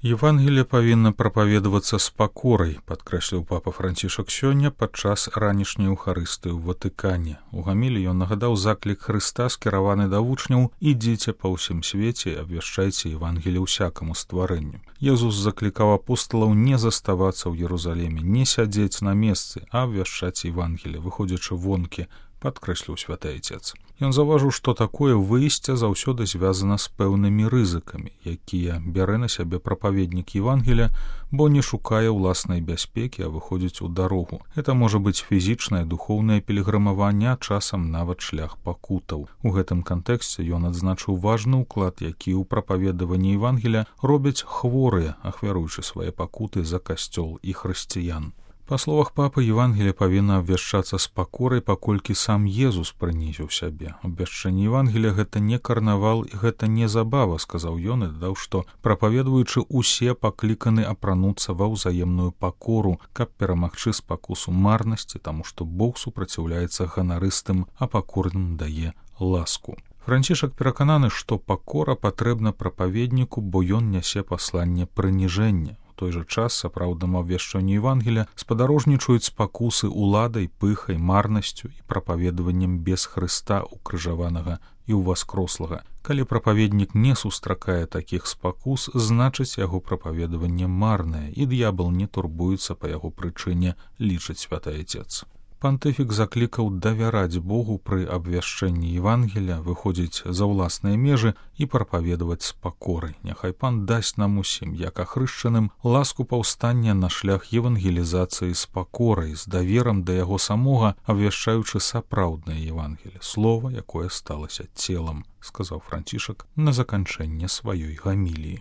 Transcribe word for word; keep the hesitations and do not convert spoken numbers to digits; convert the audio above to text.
Евангелие павінна прапаведавацца з пакорай, падкрэсліў папа Францішак сёння падчас ранішняй эўхарыстыі ў Ватыкане. У гаміліі ён нагадаў заклік Хрыста, скіраваны да вучняў: «Ідзіце па ўсім свеце і абвяшчайце Евангелие ўсякаму стварэнню». Езус заклікаў апосталаў не заставацца ў Єрусаліме, не сядзець на месцы, а абвяшчаць Евангелие, выходзячы вонкі, падкрэсліў святы Айцец. Ён заўважыў, што такое выйсце заўсёды звязана з пэўнымі рызыкамі, якія бярэ на сябе прапаведнік Евангелія, бо не шукае ўласнай бяспекі, а выходзіць у дарогу. Гэта можа быць фізічнае, духоўнае пілігрымаванне, а часам нават шлях пакутаў. У гэтым кантэксце ён адзначыў важны ўклад, які ў прапаведаванні Евангелія робяць хворыя, ахвяруючы свае пакуты за касцёл і хрысціян. Па словах папы, Евангелие павінна абвяшчацца з пакорай, паколькі сам Езус прынізіў сябе. Абвяшчэнне Евангелія — гэта не карнавал і гэта не забава, сказаў ён і дадаў, што прапаведваючы усе пакліканы апрануцца ва ўзаемную пакору, каб перамагчы спакусу марнасці, таму што Бог супраціўляецца ганарыстым, а пакорным дае ласку. Францішак перакананы, што пакора патрэбна прапаведніку, бо ён нясе пасланне прыніжэння. У той жа час сапраўднаму абвяшчэнню Евангелія спадарожнічаюць спакусы уладай, пыхай, марнасцю і прапаведаваннем без Хрыста укрыжаванага і ўваскрослага. Калі прапаведнік не сустракае такіх спакус, значыць яго прапаведаванне марнае, і д'ябал не турбуецца па яго прычыне, лічыць святы Айцец. Пантыфік заклікаў давяраць Богу пры абвяшчэнні Евангелія, выходзіць за ўласныя межы і прапаведаваць з пакорай. Няхай Пан дасць нам усім, як ахрышчаным, ласку паўстання на шлях евангелізацыі з пакорай, з даверам да яго самога, абвяшчаючы сапраўднае Евангелие, слова, якое сталася целам, сказаў Францішак на заканчэнне сваёй гаміліі.